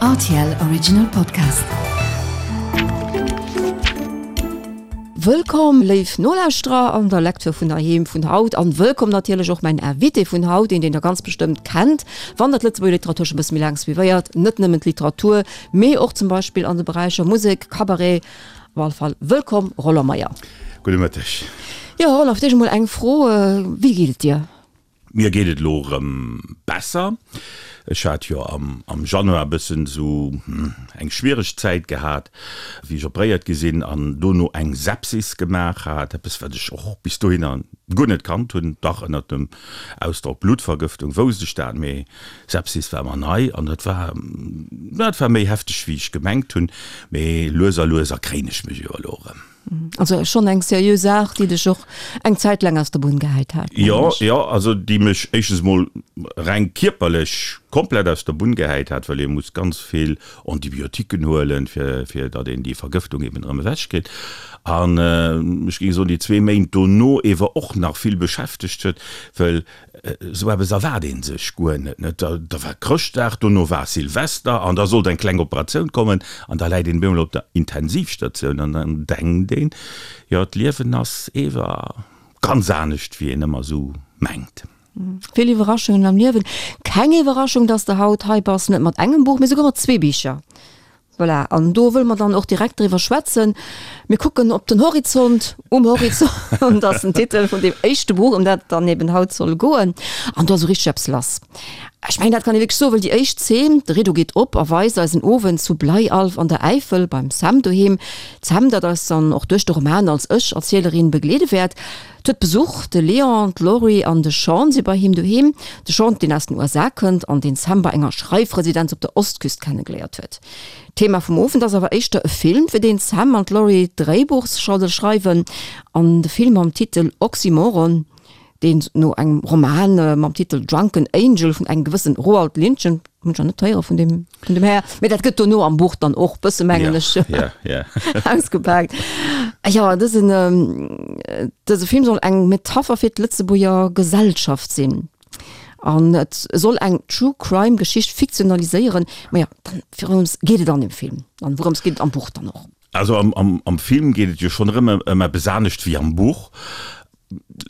Rtl Original Podcast. Wëllkomm léif Nolauschterer an der Lecture vun heiheem vun haut an wëllkomm natierlech och mäin Invité vun haut, een deen der ganz bestëmmt kennt, wann der d'Lëtzebuerger Literatur scho bësse méi laang suivéiert, net nëmmen d'Literatur, mee och zum Beispill an de Beräicher Musek, Cabaret. Op alle Fall wëllkomm Roland Meyer. Gudde Mëtteg. Jo Roland, fir d'éischt emol eng Fro, Wéi geet et dir? Mir geet et elo erëm besser. Ech hat jo am Januar e bëssen esou eng schwiereg Zäit gehat, wéi ech operéiert gi sinn an dono eng Sepsis gemaach hat, eppes wat ech och bis dohinner guer net kannt hunn. Dach ënnert dem Ausdrock Bluttvergëftung wousst ech dat, mee Sepsis war mer nei an dat war, dat war méi hefteg wéi ech gemengt hunn. Mee lues a lues erkréien ech mech jo elo erëm. Also schonn eng seriö Saach, déi dech och eng Zäit laang aus der Bunn gehäit hat. Jo, jo, also déi mech éischtens mol reng kierperlech komplett aus der Bunn gehäit hat, well ee muss ganz vill Antibiotiquen huelen, fir, fir datt een déi Vergëftung eben erëm ewech kritt. An ech géing soen, déi zwee Méint dono ewer och nach vill beschäftegt huet, well Esou eppes erwaart ee sech guer net, net? Da war Chrëschtdag, dono war Silvester an da sollt eng kleng Operatioun kommen an da läit een op eemol op der Intensivstatioun an dann denkt een, jo d'Liewen ass ewer ganz anescht wéi een ëmmer esou mengt. Vill Iwwerraschungen am Liewen. Keng Iwwerraschung, dass de haut hei bass, net mat engem Buch, mee souguer mat zwee Bicher. Voilà, an do wëlle mer dann och direkt driwwer schwätzen. Mir kucken op den Horizont, Um Horizont ass den Titel vun deem éischte Buch, ëm dat et dann eben haut soll goen. An do ass esou richteg eppes lass. Ech mengen, dat kann ee wierklech soen, well déi éischt Zeen, de Rideau geet op a weist eis en Owend zu Bleialf an der Äifel beim Sam doheem. D'Sam, dat eis dann och duerch de Roman als Ech-Erzielerin begleede wäert. Huet Besuch, de Leon, d'Laurie an de Sean si bei him doheem. De Sean, deen aus den USA kënnt an deen d'Sam bei enger Schreifresidenz op der Ostküst kennegeléiert huet. Thema vum Owend ass awer éischter e Film, fir deen d'Sam an d'Laurie d'Dréibuch schreiwen. An de Film mam Titel Oxymoron, deen no engem Roman mam Titel Drunken Angel vun engem gewëssen Roald Lindchen, Hunn ech nach net héiere vun deem, vun dem Här. Mee dat gëtt dono am Buch dann och bësse, mengen ech, ja, ja. ausgepaakt. Jo, dësen, dëse Film soll eng Metapher fir d'Lëtzebuerger Gesellschaft sinn. An et soll eng True Crime Geschicht fiktionaliséieren. Ma ja, dann, wourëms geet et an dem Film? An wourëms geet et am Buch dann och? Also am, am, am Film geet et jo schonn erëm ëm eppes anescht wéi am Buch.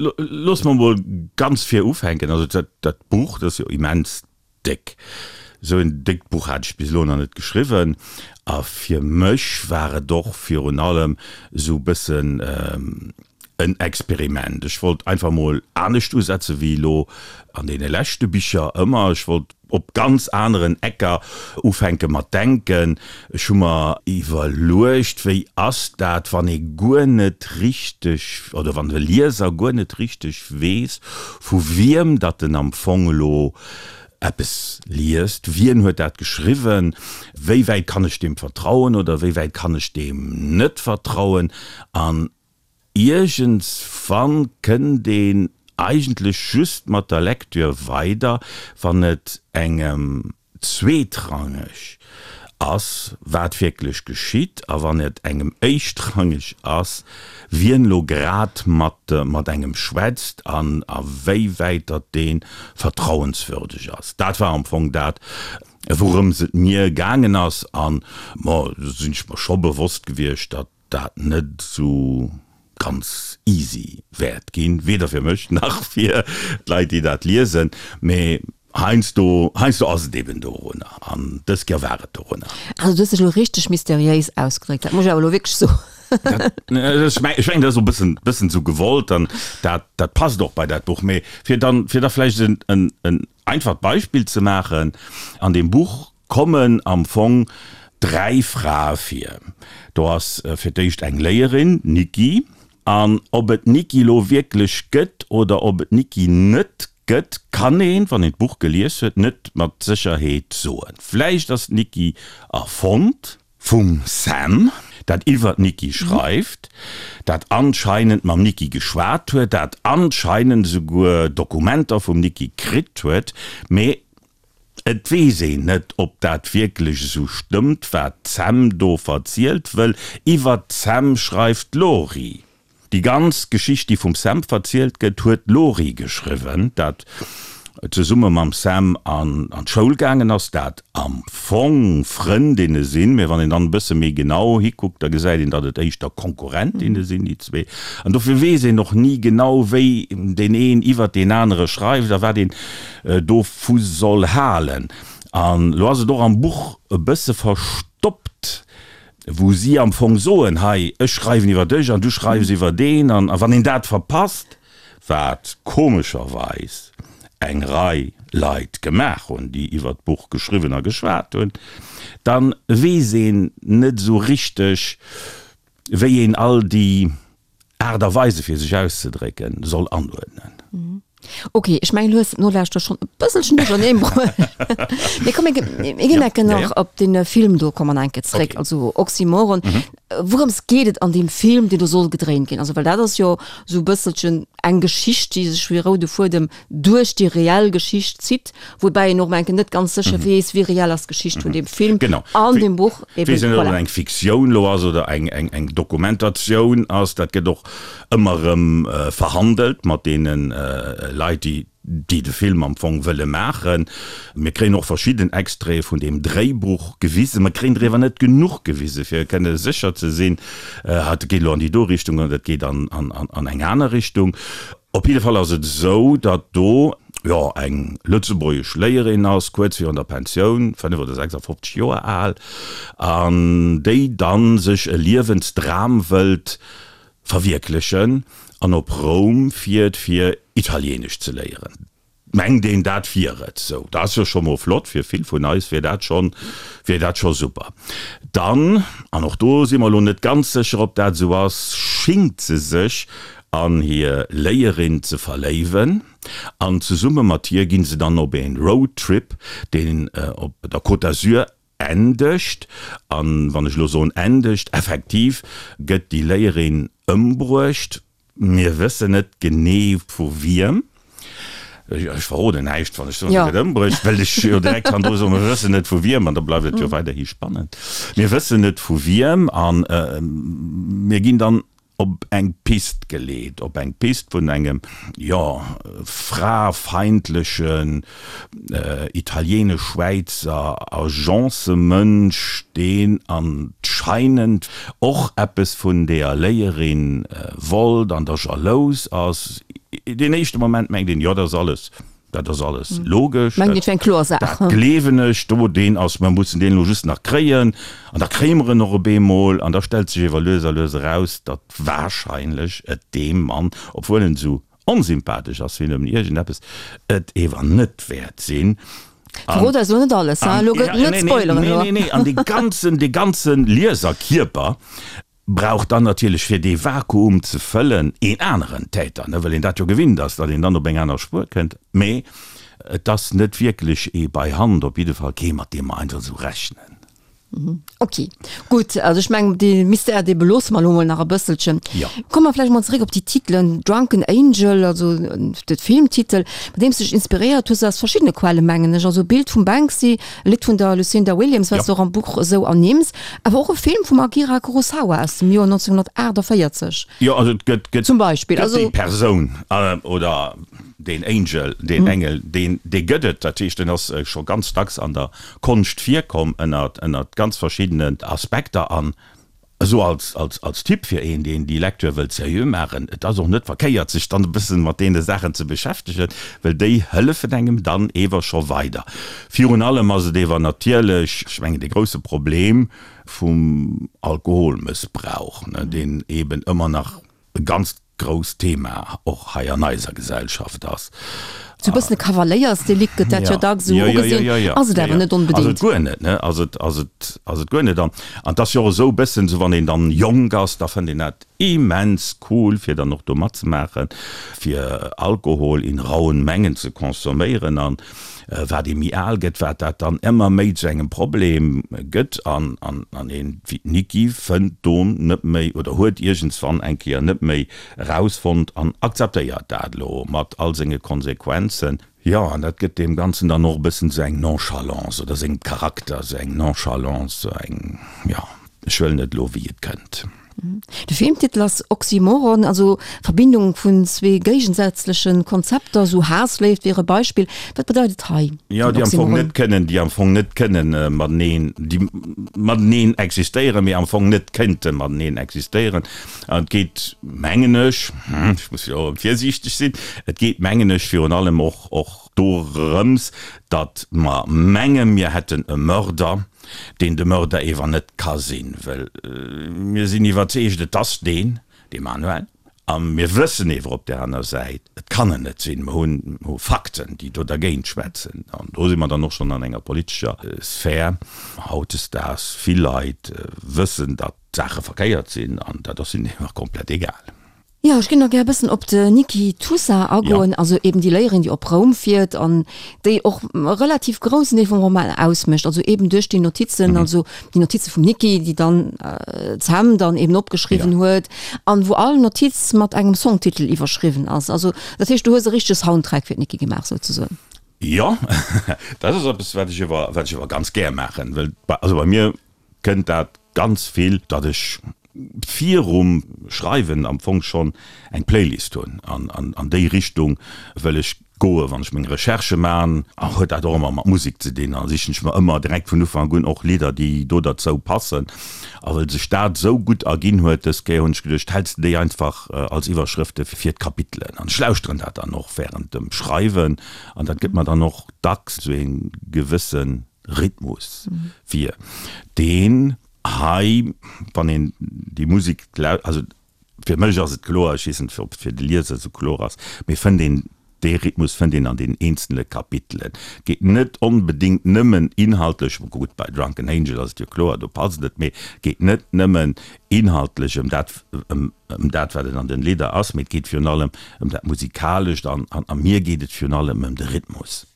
Looss mer mol ganz vir ufänken. Also dat, dat Buch, dat ass jo immens Déck. Esou en déckt Buch hat ech bis elo nach net geschriwwen. A fir mech war et och virun allem esou e bëssen en Experiment. Ech wollt einfach mol anescht usetze wéi elo an deene leschte Bicher ëmmer. Ech wollt op ganz aneren Ecker ufänke mat denken. Ech hu mer iwwerluecht, wéi ass dat, wann ee guer net richteg, oder wann de Lieser guer net richteg weess, vu wiem datt en am Fong elo eppes liest, wien huet dat geschriwwen, wéi wäit kann ech deem vertrauen oder wéi wäit kann ech deem net vertrauen. An iergendswann kënnt een eigentlech just mat der Lecture weider, wann et engem zweetrangeg ass, wat wierklech geschitt, a wann et engem éischtrangeg ass, wien elo grad mat mat engem schwätzt an a wéi wäit datt dee vertrauenswürdeg ass. Dat war am Fong dat, wourëms et mir gaangen ass. An, ma, do sinn ech mer scho bewosst gewiescht, datt dat net esou ganz easy wäert ginn, weder fir mech nach fir d'Leit, déi dat liesen, mee heiansdo, heiansdo ass et eben dorunner an dës Kéier war et dorunner. Also du hues dech elo richteg mysteriéis ausgedréckt, dat muss ech awer elo wierklech soen. Ech mengen, dat ass och e bëssen, bëssen esou gewollt an dat, dat passt och bei dat Buch. Mee fir dann, fir da vläicht en, en, en einfacht Beispill ze maachen, An deem Buch kommen am Fong 3 Frae vir. Do ass fir d'éischt eng Léierin, d'Niki. An ob et d'Niki lo wierklech gëtt oder ob et d'Niki net gëtt, kann een, wann een d'Buch gelies huet, net mat Sécherheet soen. Vläicht ass d'Niki erfonnt vum Sam, dat iwwer d'Niki schreift, dat anscheinend mam Niki geschwat huet, dat anscheinend esouguer Dokumenter vum Niki kritt huet, mee Et weess een net, ob dat wierklech esou stëmmt, wat d'Sam do verzielt, wëll iwwert d'Sam schreift d'Lori. Déi ganz Geschicht, déi vum Sam verzielt gëtt, huet d'Lori geschriwwen. Dat. zesumme mam Sam an d'Schoul gaangen ass, dat am Fong Frëndinne sinn, mee wann een dann e bësse méi genau hikuckt, da gesäit een, datt et éischter Konkurrentinne sinn, déi zwee. An dofir weess een och ni genau, wéi deen een iwwert deen anere schreift a wat een dovu soll halen. An elo ass et och am Buch e bësse verstoppt, wou si am Fong soen, hei, ech schreiwen iwwer dech an du schreifs iwwer deen. An wann een dat verpasst, wat komescherweis eng Rei Leit gemaach hunn, déi iwwer d'Buch geschriwwen a geschwat hunn, da weess een net esou richteg, wéi een all déi Aart a Weise fir sech auszedrécken soll anuerdnen. Ok, ech mengen du hues d'Nolauschter schonn e bësselchen duercherneen bruecht. Mee komm, mir ginn enke nach op dee Film do komme mer enke zréck, also Oxymoron. Wourëms geet et an deem Film, deen do soll gedréint ginn? Also well dat ass jo esou e bësselchen eng Geschicht, déi sech wéi roude Fuedem duerch déi reell Geschicht zitt, woubäi een och mol enke net ganz sécher weess, wéi reell ass d'Geschicht vun deem Film an deem Buch eben. Weess een net, ob et eng Fiktioun elo ass oder eng Dokumentatioun ass. Dat gëtt och ëmmer erëm verhandelt mat deene Leit, déi déi de Film am Fong wëlle maachen. Mir kréien och verschidden Extraite vun deem Dréibuch gewisen. Mer kréien der ewer net genuch gewisen, fir kënne sécher ze sinn, dat geet elo an déi do Richtung oder dat geet an eng aner Richtung. Op jidde Fall ass et esou, datt do, jo, eng lëtzebuergesch Léierin ass, kuerz virun der Pensioun, 5 oder 56 Joer al, an déi dann sech e Liewensdram wëllt verwierklechen an op Roum fiert, fir Italieenesch ze léieren. Mengt een dat wier et sou, dat ass jo scho mol flott, fir vill vun eis wier dat schonn, wier dat scho super. Dann, an och do si mer elo net ganz sécher ob dat esou ass, schingt se sech an hir Léierin ze verléiwen an zesumme mat hir ginn se dann op een Roadtrip, deen op der Côte d'Azur endegt. An wann ech elo soen endegt, effektiv gëtt déi Léierin ëmbruecht. Mir wëssen net genee vu wiem. Ech verroden näischt, wann ech soen, se gëtt ëmbruecht, well ech jo direkt kann do soen, mir wëssen net vu wiem, an da bleift et jo weiderhi spannend. Mir wëssen net vu wiem a mir ginn dann op eng Pist geleet, op eng Pist vun engem, jo, frafeindlechen Italienesch-Schwäizer Agencemënsch, deen anscheinend och eppes vun deeër Léierin wollt an da jalous ass. Deen éischte Moment mengt een, jo, dat ass alles, dat ass alles logesch, dat gleewen ech, do, deen ass, mer mussen deen elo just nach kréien an da kréie mer en och op eemol. An da stellt sech ewer lues a lues eraus, datt warscheinlech et deem Mann, obwuel en esou Onsympathesch ass wéi nëmmen iergendeppes et ewer net wäert sinn. Verrot eis elo net alles, ha? Elo gëtt net spoileren elo. Nee, nee, nee, an dee ganzen, dee ganze Lieserkierper brauch dann natierlech, fir dee Vakuum ze fëllen, een aneren Täter, ne, well een dat jo gewinnt ass, datt een dann op eng aner Spuer kënnt. Mee et ass net wierklech ee bei Hand, op jidde Fall kee, mat deem mer einfach esou rechnen. Ok, gutt. Also ech mengen, dee Mystère, dee beloosse mer elo mol nach e bësselchen. Jo. Komme mer vläicht mol zeréck op déi Titelen. Drunken Angel, also de Filmtitel, mat deem s de dech inspiréiert hues, aus verschiddene Quellen, mengen ech. Also e Bild vum Banksy, e Lidd vun der Lucinda Williams, wat s de och am Buch esou ernimms, awer och e Film vum Akira Kurosawa aus dem Joer 1948. Jo, also et gëtt, gëtt, Zum Beispill. gëtt déi Persoun oder deen Angel, deen Engel, deen, dee gëtt et. Dat heescht, en ass scho ganz dacks an der Konscht virkomm ënnert ënnert ganz verschiddenen Aspekter an esou als als als Tipp fir een deen déi Lecture wëllt seriö maachen, et ass och net verkéiert sech dann e bëssen mat deene Saachen ze beschäftegen, well déi hëllefen engem dann ewer scho weider. Virun allem ass et ewer natierlech, ech mengen de grousse Problem vum Alkoholmëssbrauch, ne, deen eben ëmmer nach e ganzt grousst Thema och hei an eiser Gesellschaft ass. Sou e bëssen e Kavaléiersdelikt gëtt dat jo dacks esou ugesinn, ass et awer net onbedéngt. Ass et guer net, ne? Ass et, ass et, ass et guer net. An, an et ass jo och esou e bëssen esou, wann een dann jonk ass, da fënnt een dat immens cool, fir dann och do matzemaachen, fir Alkohol in rauen Mengen ze consomméieren. An Wat ee méi al gëtt, wat dat dann ëmmer méi zu engem Problem gëtt an an een, wéi d'Niki, fënnt do net méi oder huet iergendswann eng Kéier net méi erausfonnt an akzeptéiert dat elo mat all senge Konsequenzen. Jo, an dat gëtt deem Ganzen dann och e bëssen esou eng Nonchalance oder sengem Charakter esou eng Nonchalance, esou eng, jo, ech huelen et elo wéi et kënnt. De Filmtitel ass Oxymoron, also Verbindung vun zwee géigesätzleche Konzepter, sou Haassléift wier e Beispill. Wat bedeit et hei, Jo, den déi am Fong Oxymoron? net kënnen, déi am Fong net kënnen mateneen, déi mateneen existéieren, mee am Fong net kéinte mateneen existéieren. An et geet, mengen ech, ech muss jo och virsiichteg sinn, et geet, mengen ech, virun allem och, och dorëms, datt mer menge mir hätten e Mörder, deen de Mörder ewer net ka sinn, well mir sinn iwwerzeegt, et ass deen, de Manuel, a mir wëssen ewer op där aner Säit, et kann en net sinn, mer hunn hu Fakten, déi do dergéint schwätzen. An do si mer dann och schonn an enger politescher Sphär. Hautdesdaags, vill Leit wëssen, datt d'Saache verkéiert sinn, an dat ass hinnen ewer komplett egal. Jo, ech géing nach gär e bëssen op de Niki Tusa agoen, also eben déi Léierin, déi op Roum fiert an déi och e relativ groussen Deel vum Roman ausmécht, also eben duerch déi Notizen, also déi Notize vum Niki, déi dann d'Sam dann eben opgeschriwwen huet an wou all Notiz mat engem Songtitel iwwerschriwwen ass. Also dat heescht, du hues e richtege Soundtrack fir d'Niki gemaach souzesoen. Jo, dat ass eppes, wat ech ewer, wat ech ewer ganz gär maachen, well also bei mir kënnt dat ganz vill, datt ech virum Schreiwen am Fong schonn eng Playlist hunn an an déi Richtung wëll ech goen. Wann ech meng Recherchë man, huet dat och ëmmer mat Musek ze dinn, a sichen ech mer ëmmer direkt vun Ufank un och Lidder, déi do derzou passen. A well sech dat esou gutt erginn huet dës Kéier, hunn ech geduecht, häls de déi einfach als Iwwerschrëfte fir d'Kapitelen. An ech lauschteren dat dann och wärend dem Schreiwen an dat gëtt mer dann och dacks esou ee gewësse Rhythmus wier deen hei, wann een déi Musek lau-, also fir mech ass et kloer, ech weess net, ob et fir de Lieser esou kloer ass, mee fënnt een, dee Rhythmus fënnt een an den eenzele Kapitelen. Et geet net onbedéngt nëmmen inhaltlech, gutt, bei Drunken Angel ass et jo kloer, do passt et, mee et geet net nëmmen inhaltlech ëm dat, ëm dat, wat et an den Lidder ass, mee et geet virun allem ëm dat Musikalescht an a mir geet et virun allem ëm de Rhythmus.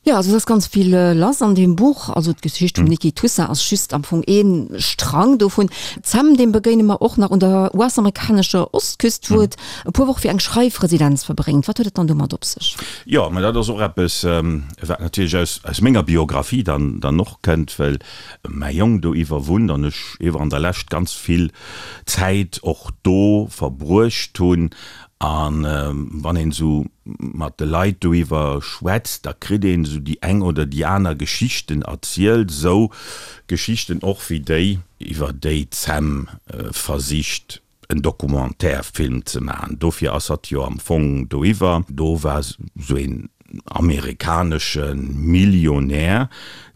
Jo, also et ass ganz vill lass an deem Buch. Also d'Geschicht vum Niki Tussa ass just am Fong ee Strang dovun. D'Sam, deem begéine mer och nach un der US-amerikanescher Ostküst, wou et e puer Woche fir eng Schreifresidenz verbréngt. Wat huet et dann domat op sech? Jo, mä dat ass och eppes, wat natierlech aus, aus menger Biographie dann, dann och kënnt, well mäi Jong do iwwer wunnt an ech iwwer an der Lescht ganz vill Zäit och do verbruecht hunn. A wann een esou mat de Leit doiwwer schwätzt, da kritt een esou déi eng oder déi aner Geschichten erzielt, esou Geschichten och wéi déi, iwwer déi d'Sam versicht en Documentaire-Film ze maachen. Dofir ass hatt jo am Fong doiwwer. Do war esou een amerikanesche Millionär,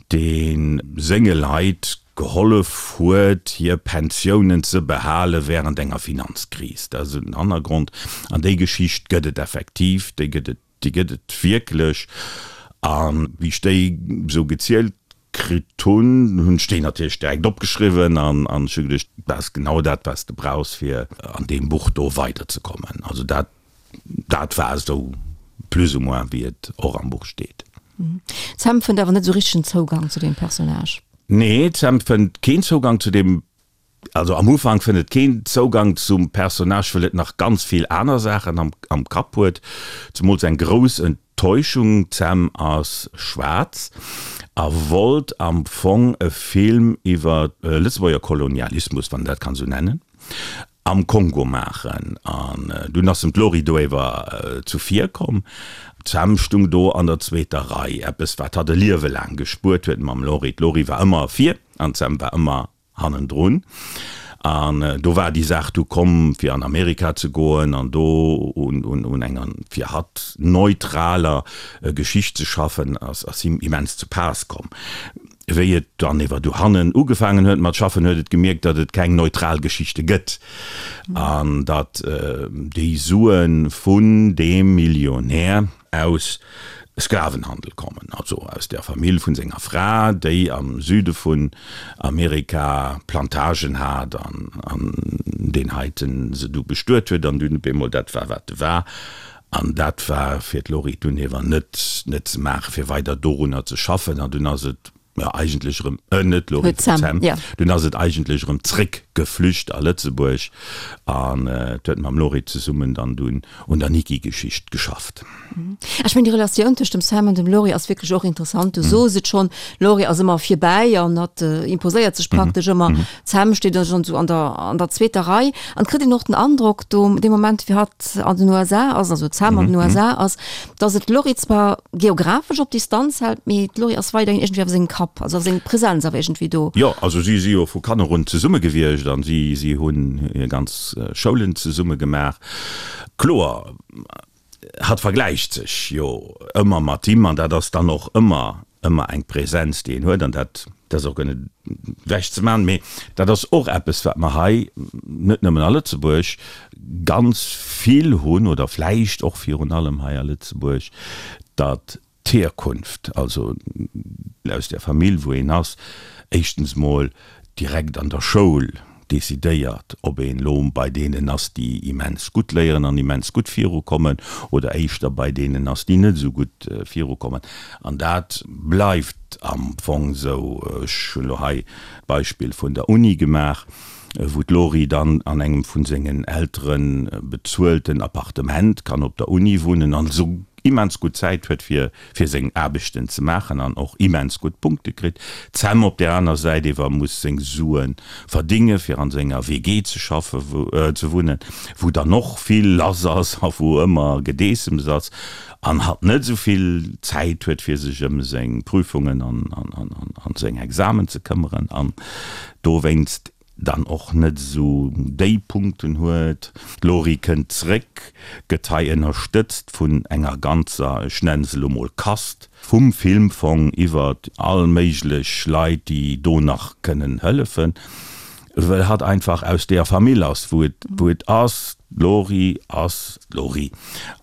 dee senge Leit gehollef huet, hir Pensiounen ze behale während enger Finanzkris. Dat ass esou den Hannergrond. An déi Geschicht gëtt et effektiv, déi gëtt et, déi gëtt et wierklech. A wéi ech déi esou gezielt kritt hunn, hunn ech déi natierlech direkt opgeschriwwen an ech hu geduecht, dat ass genau dat, wat s de brauchs, fir an deem Buch do weiderzekommen. Also dat Dat war esou plus ou moins wéi et och am Buch steet. D'Sam fënnt awer net esou richtegen Zougang zu deem Personnage. Nee, d'Sam fënnt keen Zougang zu deem, also am Ufank fënnt et keen Zougang zum Personnage, wëll et nach ganz vill aner Saachen am am Kapp huet, zemools eng grouss Enttäuschung. D'Sam ass schwaarz a wollt am Fong e Film iwwer Lëtzebuerger Kolonialismus, wann een dat kann esou nennen. Am Kongo maachen. An dunn ass em d'Lori do ewer zuvir komm. D'Sam stung do an der zweeter Rei, eppes wat hatt e Liewe laang gespuert huet mam Lori. D'Lori war ëmmer vir an d'Sam war ëmmer hannendrun. An do war déi Saach du komm, fir an Amerika ze goen an do un enger fir hatt neutraler Geschicht ze schaffen, ass him immens zu Paass komm. Wéi et dann ewer dohannen ugefaangen huet mat schaffen, huet et gemierkt, datt et keng neutral Geschichte gëtt an datt déi Sue vun deem Millionär aus Sklavenhandel kommen, also aus der Famill vun senger Fra, déi am Süde vun Amerika Plantagen hat an deen heiten se du bestuet huet an dunn op eemol dat war, wat e war. An dat war fir d'Lori dunn ewer net net ze maachen, fir weider dorunner ze schaffen. An dunn ass et. Jo, eigentlech erëm, net d'Lori, d'Sam. Dunn ass et eigentlech erëm zréck geflücht a Lëtzebuerg an et huet mam Lori zesummen dann dunn un der Niki-Geschicht geschafft. Ech mengen, déi Relatioun tëscht dem Sam an dem Lori ass wierklech och interessant. Du sos et schonn, d'Lori ass ëmmer virbäi an hatt imposéiert sech praktesch ëmmer. D'Sam steet da schonn esou an der, an der zweeter Rei an et kritt een och den Androck do, dee Moment wéi hatt an den USA ass, also d'Sam an den USA ass, dass et d'Lori zwar geographesch op Distanz hält, mee d'Lori ass weiderhin iergendwéi awer sengem Kapp, also seng Präsenz awer iergendwéi do. Jo, also si si jo vu Kanner un zesumme gewiescht an si si hunn hir ganz Schoulen zesumme gemaach. Kloer, hatt vergläicht sech jo ëmmer mat him an dat ass dann och ëmmer ëmmer eng Präsenz, déi een huet an dat dat ass och guer net ewechzemaachen. Mee dat ass och eppes, wat mer hei net nëmmen a Lëtzebuerg ganz vill hunn oder vläicht och virun allem hei a Lëtzebuerg, datt d'Hierkunft, also aus där Famill, wou een ass, éischtens mol direkt an der Schoul decidéiert, ob een elo bei deenen ass, déi immens gutt léieren an immens gutt virukommen, oder éischter bei deenen ass, déi net esou gutt virukommen. An dat bleift am Fong esou. Ech hunn elo hei d'Beispill vun der Uni gemaach, wou d'Lori dann an engem vu sengen Eltere bezuelten Appartement kann op der Uni wunnen an esou immens gutt Zäit huet fir fir seng Aarbechten ze maachen an och immens gutt Punkte kritt. D'Sam op där aner Säit ewer muss seng Sue verdinge fir an senger WG ze schaffe ze wunnen, wou dann och vill lass ass a wou ëmmer Gedeessems ass an hatt net esou vill Zäit huet fir sech ëm seng Prüfungen an an seng Examen ze këmmeren an dowéinst dann och net esou déi Punkten huet. D'Lori kënnt zréck, gëtt hei ënnerstëtzt vun enger ganzer, ech nennen se elo mol Kast, vum Filmfong iwwert all méiglech Leit, déi do nach kënnen hëllefen, well hatt einfach aus deeër Famill ass, wou et, wou et ass. D'Lori ass d'Lori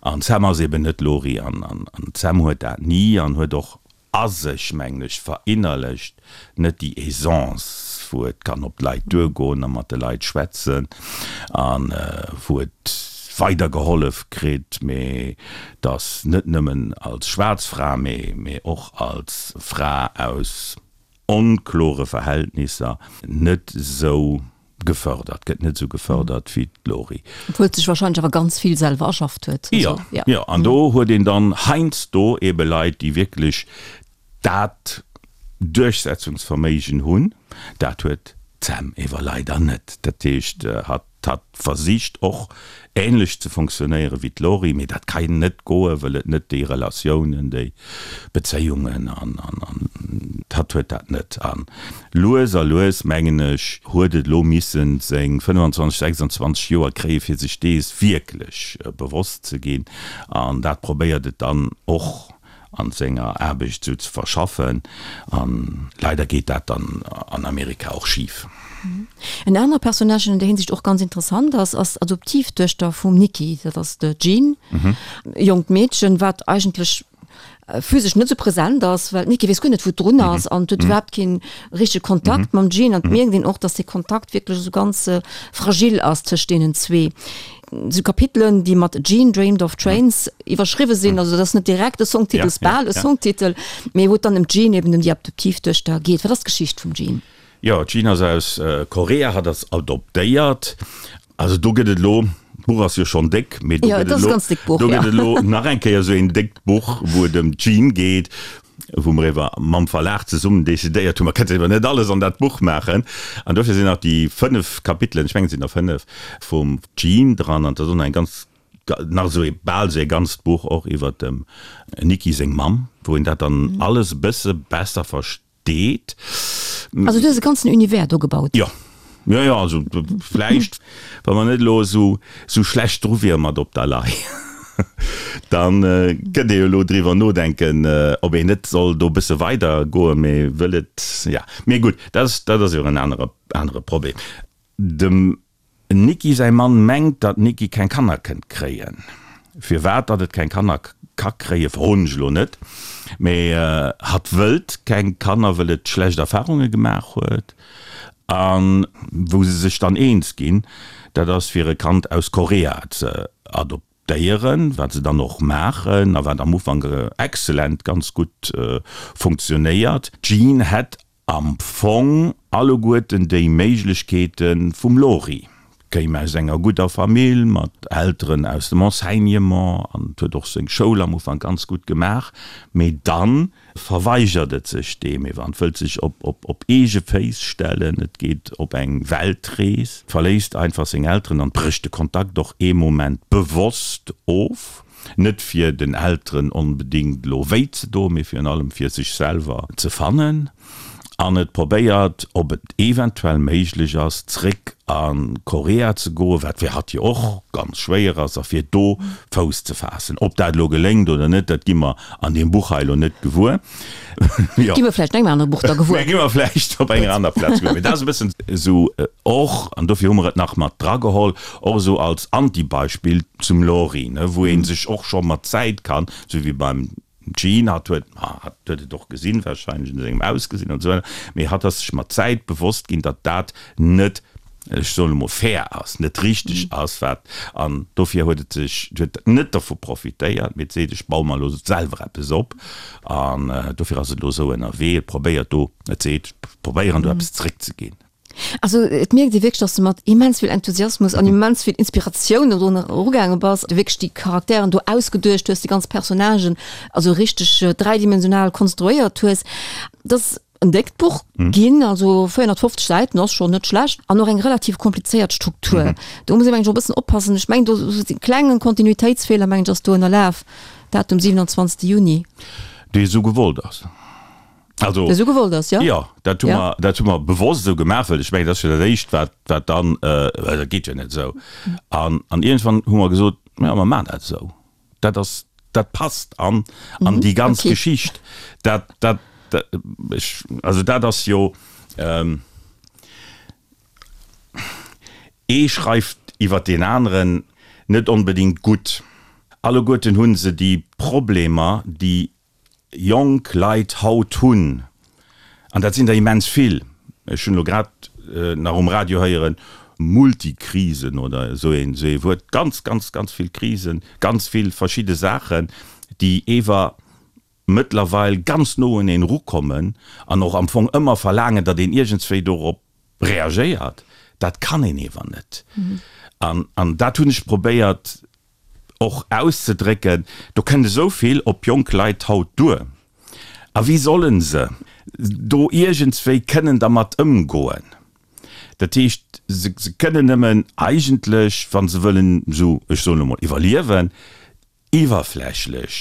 an d'Sam ass eben net d'Lori an d'Sam huet dat ni an huet och a sech, mengen ech, verinnerlecht, net déi Aisance, wou et kann op d'Leit duergoen a mat de Leit schwätzen a wou et weidergehollef kritt, mee dass net nëmmen als schwaarz Fra, mee och als Fra aus onklore Verhältnisser net esou gefördert gëtt, net esou gefördert wéi d'Lori. Obwuel sech wahrscheinlech awer ganz vill selwer erschafft huet. Jo, jo, an do huet een dann heiansdo eebe Leit, déi wierklech dat Duerchsetzungsverméigen hunn. Dat huet d'Sam ewer leider net. Dat heescht, hatt hatt versicht och änlech ze fonctionnéiere wéi d'Lori, mee dat kann net goen, wëll et net déi Relatiounen, déi Bezéiungen an hatt huet dat net. A lues a lues, mengen ech, huet et elo missen seng 25, 26 Joer kréie fir sech dees wierklech bewosst ze ginn. An dat probéiert et dann och an senger Aarbecht esou ze verschaffen. An leider geet dat dann an Amerika och schif. En anere Personnage, an där Hinsicht och ganz interessant ass, ass d'Adoptivduechter vum Nikki, dat ass de Jean, e jonkt Meedchen, wat eigentlech physesch net esou present ass, well d'Nikki weess guer net, wou et drun ass an huet iwwerhaapt kee richtege Kontakt mam Jean an et mierkt een och, dass dee Kontakt wierklech esou ganz fragil ass tëscht deenen zwee. Esou Kapitelen, déi mat Jean Dreamed of Trains iwwerschriwwe sinn, also dat ass net direkt e Songtitel, ass bal e Songtitel, mee wou et dann ëm d'Jean, eben ëm déi Adoptivduechter geet. Wat ass d'Geschicht vum Jean? Jo, d'Jean ass aus Korea, hatt ass adoptéiert. Also do gëtt et elo, d'Buch ass jo schonn déck, mee do gëtt et elo, do gëtt et elo nach eng Kéier esou een déckt Buch, wou et ëm d'Jean geet, wou mer ewer mam Verlag zesummen decidéiert hunn, mer kënnten ewer net alles an dat Buch maachen. An dofir sinn nach déi 5 Kapitelen, ech mengen et sinn der 5, vum Jean dran. An et ass och nach eng ganz, nach esou ee, bal esou ee ganzt Buch och iwwer dem Nikki seng Mamm, wou een dat dann alles e bësse besser versteet. Deet. Also du hues e ganzen Univers do gebaut. Jo, jo, jo, also vläicht, wa mer net elo esou, esou schlecht dru wiere mat Op der Lay, dann kënnt ee jo elo driwwer nodenken, ob een net soll do e bësse weider goen, mee wëll et, ja, mee gutt, dat ass, dat ass jo en anere, anere Problem. Dem Nicki säi Mann mengt, datt d'Nicki keng Kanner kënnt kréien. Firwat datt et keng Kanner ka kréien, froen ech elo net, mee hatt wëllt keng Kanner, wëll et schlecht Erfarunge gemaach huet. A wou se sech dann eens ginn, dat ass fir e Kand aus Korea ze adoptéieren. adoptéieren, wat se dann och maachen a wat am Ufank excellent, ganz gutt funktionéiert. D'Jean hätt am Fong alleguerten déi Méiglechkeete vum Lori, kéim aus enger gudder Famill mat Elteren aus dem Enseignement an huet och seng Schoul am Ufank ganz gutt gemaach, mee dann verweigert et sech deem ewer an wëllt sech op eege Féiss stellen. Et geet op eng Weltrees, verléisst einfach seng Elteren an brécht de Kontakt och ee Moment bewosst of. Net fir den Elteren onbedéngt elo wéi ze doen, mee virun allem fir sech selwer ze fannen. An et probéiert, ob et eventuell méiglech ass, zréck a Korea ze goen, wat fir hatt jo och ganz schwéier ass, a fir do Fouss ze faassen. Ob dat elo geléngt oder net, dat gi mer an deem Buch hei elo net gewuer. Jo. Gi mer vläicht an engem anere Buch da gewuer. Gi mer vläicht op enger aner Plaz gewuer. Mee dat ass e bëssen esou och, an dofir hu mer et nach mat drageholl, och esou als Antibeispill zum Lori, ne, wou ee sech och scho mat Zäit kann, esou wéi beim Jean, hatt huet, ma hatt huet et och gesinn, wahrscheinlech un sengem Ausgesinn an esou weider, mee hatt ass sech mat Zäit bewosst ginn, datt dat net, ech soen emol, fair ass, net richteg ass, wat, an dofir huet et sech, huet et net dervu profitéiert, mee et seet, ech baue mer elo selwer eppes op an dofir ass et elo esou ënnerwee, et probéiert do, et seet, ech probéieren do eppes zeréckzeginn. Also et mierkt ee wierklech, dass de mat immens vill Enthusiasmus an immens vill Inspiratioun do drun erugaange bass, du wierklech déi Charakteren do ausgeduecht hues, déi ganz Personnagen also richteg dräidimensional konstruéiert hues. Et ass en déckt Buch ginn, also 450 Säiten ass schonn net schlecht an och eng relativ komplizéiert Struktur. Do muss ee mengen ech och e bëssen oppassen. Ech mengen do e klengen Kontinuitéitsfeeler mengen ech ass do ënnerlaf, Datum 27 Juni. Dee esou gewollt ass. Also, Esou gewollt ass, jo? Jo, dat hu mer, dat hu mer bewosst esou gemaach, well ech mengen, dat ass jo dat Éischt, wat, wat dann, well dat geet jo net esou. An, an iergendwann hu mer gesot, jo, mer maachen dat esou. Dat ass, dat passt an, an déi ganz okay. Geschicht. Dat, dat, dat, ech, also dat ass jo, ee schreift iwwer deen aneren net onbedéngt gutt. Alleguerten hu se déi Problemer, déi jonk Leit haut hunn, an dat sinn der immens vill, ech hunn elo grad nach um Radio héieren, Multikrisen oder esou een esou ee Wuert, ganz, ganz, ganz vill Krisen, ganz vill verschidde Saachen, déi ewer mëttlerweil ganz no un een erukommen an och am Fong ëmmer verlaangen, datt een iergendswéi dorop reagéiert. Dat kann een ewer net. An, an dat hunn ech probéiert och auszedrécken, do kënnt esou vill op jonk Leit haut duer, a wéi solle se do iergendswéi kënnen dermat ëmgoen? Dat heescht, se kënnen nëmmen eigentlech, wa se wëllen esou, ech soen elo mol, iwwerliewen, iwwerflächlech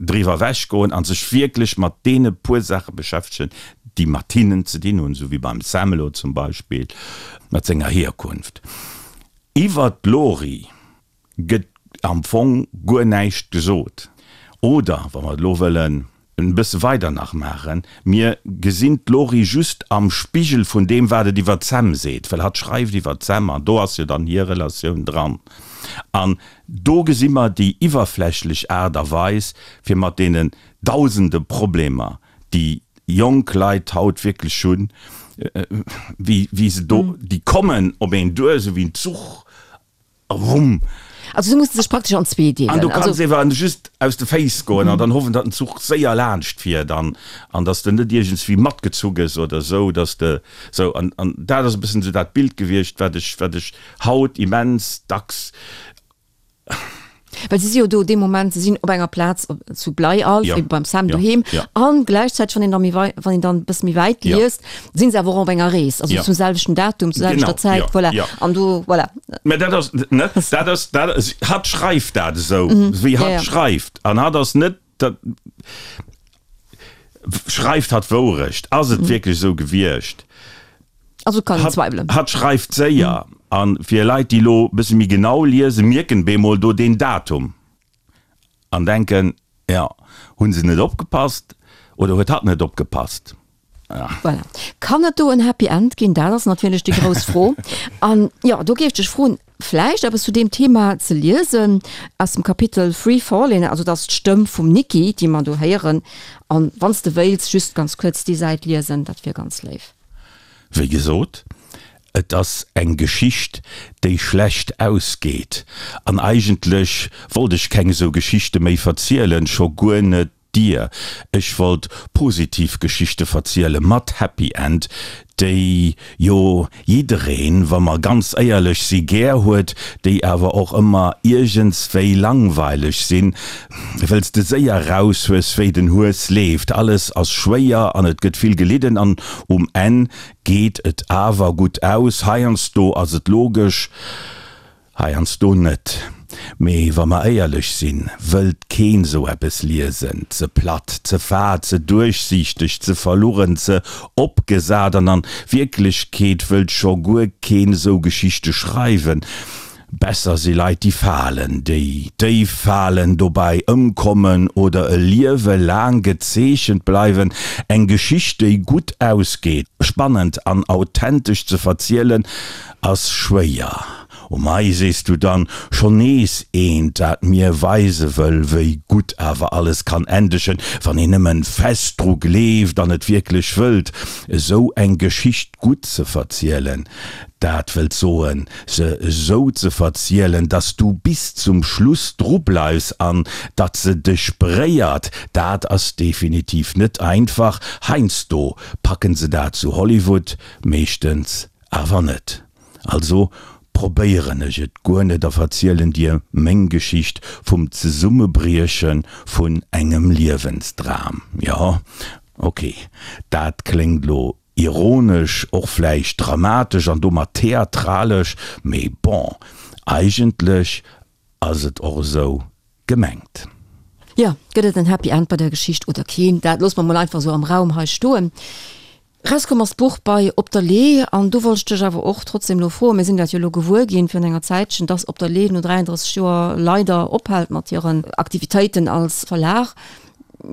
driwwer ewechgoen a sech wierklech mat deene puer Saache beschäftegen, déi mat hinnen ze dinn hunn, esou wéi beim Sam elo zum Beispill mat senger Hierkunft. Iwwert d'Lori gëtt am Fong guer näischt gesot. Oder, wa mer et elo wëllen e bësse weider nach maachen, mir gesinn d'Lori just am Spigel vun deem, wat et iwwer d'Sam seet, well hatt schreift iwwer d'Sam an do ass jo dann hir Relatioun dran. An do gesi mer déi iwwerflächlech Aart a Weis, fir mat deenen dausende Problemer, déi jonk Leit haut wierklech hunn, wéi, wéi se do, déi kommen op een duer, esou wéi en Zuch, a wumm. Also se musse sech praktesch an zwee deelen. An du kanns ewer just aus de Féiss goen an dann hoffen, datt den Zuch séier laanscht fiert an, an datt s de net iergendswéi matgezu gëss oder esou, datt s de esou. An, an dat ass e bëssen esou dat Bild gewiescht, wat ech, wat ech haut immens dacks. Well se si jo do dee Moment, se sinn op enger Plaz op, zu Bleialf, ja. beim Sam ja. doheem. Ja. An gläichzäiteg, wann een da méi wei, wann een dann e bësse méi wäit ja. liest, sinn se awer och op enger Rees, also ja. zum selwechten Datum, zur selwechter Zäit, ja. voilà. Ja. An do, voilà. Mä dat ass, ne, dat ass, dat ass, hatt schreift dat esou, mhm. wéi hatt ja, ja. schreift. An hatt ass net, dat, schreift hatt Wourecht? Ass et mhm. wierklech esou gewiescht? Also kann een zweiwelen. Hatt schreift séier an fir Leit déi lo bësse méi genau liesen, mierken bemol do deen Datum an denken, jo, hunn se net opgepasst oder huet hatt net opgepasst? Voilà. Kann et do en Happy End ginn? Dat ass natierlech déi grouss Fro. An jo, do géif ech dech froen, vläicht eppes zu deem Thema ze liesen aus dem Kapitel Free Falling, also dat ass d'Stëmm vum Nikki, déi mer do héieren. An wann s de wéilts, just ganz kuerz déi Säit liesen, dat wier ganz léif. Wéi gesot. Et ass eng Geschicht, déi schlecht ausgeet. An eigentlech wollt ech keng esou Geschichte méi verzielen, scho guer net dir. Ech wollt positiv Geschichte verziele mat Happy End, déi jo jiddereen, wa mer ganz éierlech si, gär huet, déi awer och ëmmer iergendswéi langweileg sinn, wëll s de séier raus hues, wéi den Hues leeft. Alles ass schwéier an et gëtt vill gelidden an um Enn geet et awer gutt aus. Heiansdo ass et logesch. Heiansdo net. Mee wa mer éierlech sinn, wëllt keen sou eppes liesen. Ze platt, ze fad, ze duerchsiichteg, ze verlugen, ze opgesat an an Wierklechkeet wëllt scho guer keen sou Geschichte schreiwen. Besser si Leit déi falen, déi déif falen, dobäi ëmkommen oder e Liewe laang gezeechent bleiwen. Eng Geschicht déi gutt ausgeet, spannend an authentesch ze verzielen ass schwéier. O mei, sees du dann, schonn nees eent, dat mir weise wëll, wéi gutt awer alles kann endegen, wann een nëmmen fest dru gleeft an et wierklech wëllt. Esou eng Geschicht gutt ze verzielen, dat wëllt soen, se esou ze verzielen, dass du bis zum Schluss drubleifs an datt se dech bréiert, dat ass definitiv net einfach. Heiansdo packen se dat zu Hollywood, meeschtens Awer net. Also probéieren ech et guer net a verzielen dir meng Geschicht vum Zesummebrieche vun engem Liewensdram. Jo, ok, dat kléngt lo ironesch, och vläicht dramatesch an domat theatralesch, mee bon, eigentlech ass et och esou gemengt. Jo, gëtt et en Happy End bei der Geschicht oder keen? Dat loosse mer mol einfach esou am Raum hei stoen. Rauskomm ass d'Buch bei Op der Lee an do wollt ech dech awer och trotzdem elo froen, mir sinn dat jo elo gewuer ginn virun enger Zäitchen, dass Op der Lee no 33 Joer leider ophält mat hiren Aktivitéiten als Verlag.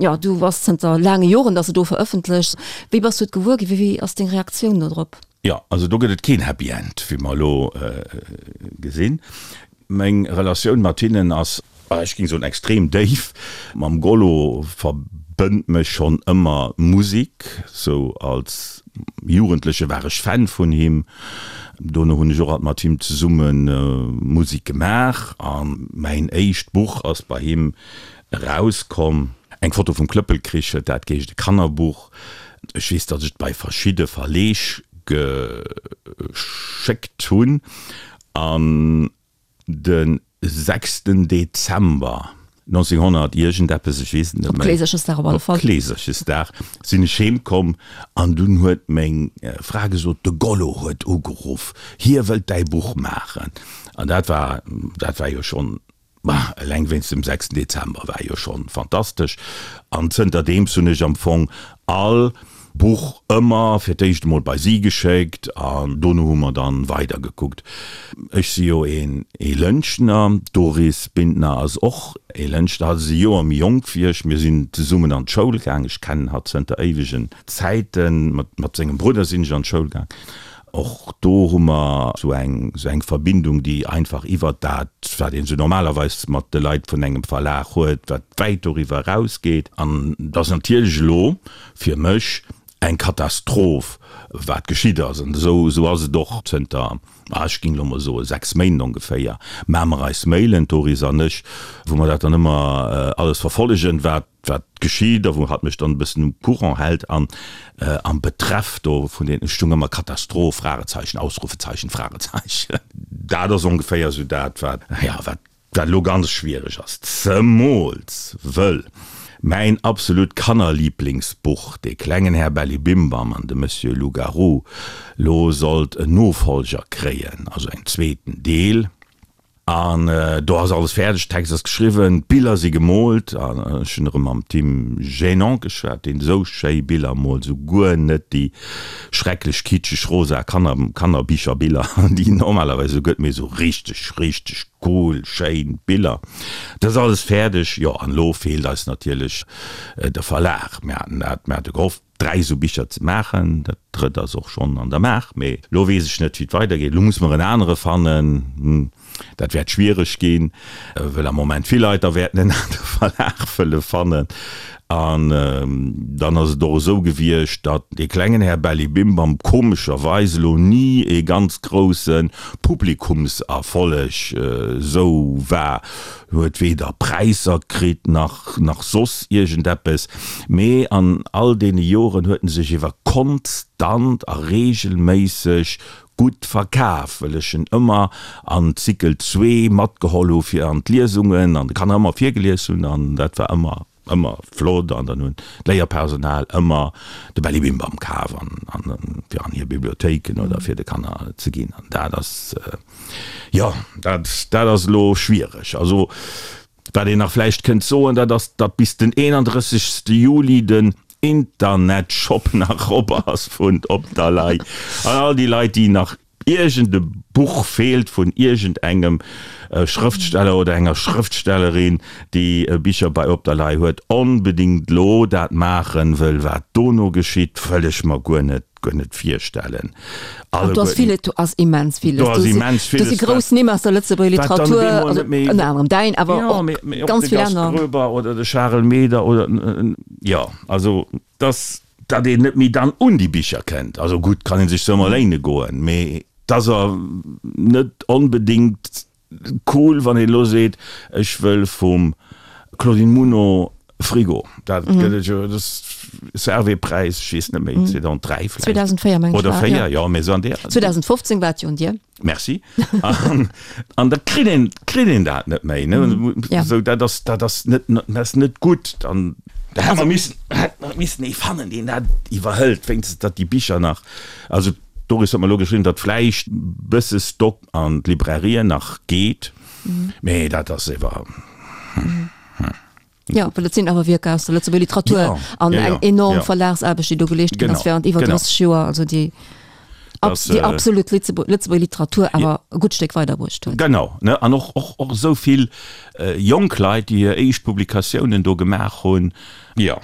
Jo, du bass zënter laange Joren, dass de do verëffentlechs. Wéi bass du et gewuer ginn? Wéi ass deng Reaktioun do drop? Jo, also do gëtt et keen Happy End, wéi mer elo gesinn. Meng Relatioun mat hinnen ass, ech géing soen, extrem déif. Mam Gollo verbënnt mech schonn ëmmer d'Musek. Sou als Jugendleche war ech Fan vun him. Dono hunn ech och alt mat him zesumme Musek gemaach. A mäin éischt Buch ass bei him erauskomm. Eng Foto vum Klëppelkrich huet dat geheescht, e Kannerbuch. Ech weess, datt ech et bei verschidde Verleeg geschéckt hunn. An de sechsten Dezember 1900 iergendeppes, ech weess et net méi. Op Kleeserchesdag op alle Fall. Op Kleeserchesdag sinn ech heem komm an dunn huet meng Fra gesot, de Gollo huet ugeruff, hie wëllt däi Buch maachen. An dat war, dat war jo schonn Ma eleng wéinst dem sechsten Dezember war jo schonn fantastesch. An zënterdeems hunn ech am Fong all Buch ëmmer fir d'éischt emol bei si geschéckt an dono hu mer dann weider gekuckt. Ech si jo een ee Lëntgener, d'Doris Bintner ass och ee Lëntgener, hatt ass e Joer méi jonk wéi ech. Mir sinn zesummen an d'Schoul gaang, ech kennen hatt zënter éiwegen Zäiten, mat sengem Brudder sinn ech an d'Schoul gaang. Och do hu mer esou eng, esou eng Verbindung, déi einfach iwwert dat, wat een esou normalerweis mat de Leit vun engem Verlag huet, wat wäit doriwwer erausgeet. An et ass natierlech elo fir mech eng Katastroph, wat geschitt ass. An esou, esou ass et och zënter, ah, ech géing elo mol soen, 6 Méint ongeféier, maache mer eis Mailen, d'Doris an ech, wou mer dat dann ëmmer alles verfollegen, wat, wat geschitt a wou hatt mech dann e bëssen um Courant hält an am Betreff do vun den, ech stung ëmmer Katastroph, Fragezeichen, Ausrufezeichen, Fragezeichen. Dat ass ongeféier esou dat, wat, jo, wat, wat elo ganz schwiereg ass, zemools wëll mäin absolut Kannerliblingsbuch, De klengen Här Bellibimbam an de Monsieur Loup-Garou, lo sollt en Nofolger kréien, also en zweeten Deel. An do ass alles fäerdeg, Text ass geschriwwen, d'Biller si gemoolt. An ech hunn erëm mam Tim Génon geschwat, deen esou schéi Biller moolt, esou guer net déi schrecklech kitscheg rosa Kanner Kannerbicherbiller, déi normalerweis esou gëtt, mee esou richteg, richteg cool, schéin Biller. Dat ass alles fäerdeg. Jo, an elo feelt eis natierlech de Verlag. Mir haten dat, mir hate gehofft, 3 esou Bicher ze maachen. Dat drëtt ass och schonn an der Maach, mee elo weess ech net, wéi et weidergeet. Elo muss mer en anere fannen. Dat wäert schwiereg ginn, well am Moment vill Leit da wäerten en anere Verlag wëlle fannen. An dann ass et och esou gewiescht, datt dee klengen Här Bellibimbam komescherweis elo ni ee ganz grousse Publikumserfolleg esou war. Huet weder Präisser kritt nach nach soss iergendeppes, mee an all deene Joren huet en sech ewer konstant a regelméisseg gutt verkaf, well ech en ëmmer an Zykel zwee matgeholl hu fir an d'Liesungen an de Kanner ëmmer virgelies hunn an dat war ëmmer ëmmer flott an dann hunn d'Léierpersonal ëmmer de Bellibimbam kaf an an fir an hir Bibliothéiken oder fir de Kanner ze ginn an dat ass jo dat dat ass elo schwiereg. Also wat een nach vläicht kënnt soen, dat ass, datt bis den 31. Juli den Internetshop nach op ass vun Op der Lay an all déi Leit déi nach iergend e Buch feelt vun iergend engem Schrëftsteller oder enger Schrëftstellerin, déi Bicher bei Op der Lay huet, onbedingt lo dat maachen, wëll wat dono geschitt, wëll ech mer guer net, guer net virstellen. An do ass villes, do ass immens villes. Do ass immens villes. Do si grouss Nimm aus der Lëtzebuerger Literatur, also ënner anerem däin, awer och ganz vill aner. Jo, mee och de Gast Groeber oder de Charel Meder oder, jo, also dass. Datt een net méi dann un déi Bicher kënnt. Also gutt, kann ee sech se ëmmer léine goen, mee et ass er net onbedéngt cool, wann een elo seet, ech wëll vum Claudine Muno Frigo. Dat gëtt et jo, dat Servais-Präis, ech weess net méi, 2003 vläicht. 2004 meng ech war et, jo. Oder 4, jo, mee esou an deer. 2015 war et jo un dir. Merci. An, an da kritt een, kritt een dat net méi, ne? Ja. Sou, dat ass, dat ass net, dat ass net gutt. Dann, da hätt mer missen, hätt mer missen ee fannen, deen dat iwwerhëlt, wéinstens datt déi Bicher nach, also d'Doris huet mer elo geschriwwen, datt vläicht bësse Stock an d'Librairien nach geet, mee dat ass ewer, hm, hm. Jo, well et sinn awer Wierker aus der Lëtzebuerger Literatur Ja, an ja, eng ja, enorm ja. Verlagsaarbecht, déi do geleescht ginn ass Genau, während iwwer genau. 30 Joer, also déi Das, déi äh, absolut Lëtzebu Lëtzebuerger Literatur awer e gutt Stéck weiderbruecht huet. Genau, ne, an och, och, och esou vill äh, jonk Leit, déi hir éischt Publikatiounen do gemaach hunn. Jo,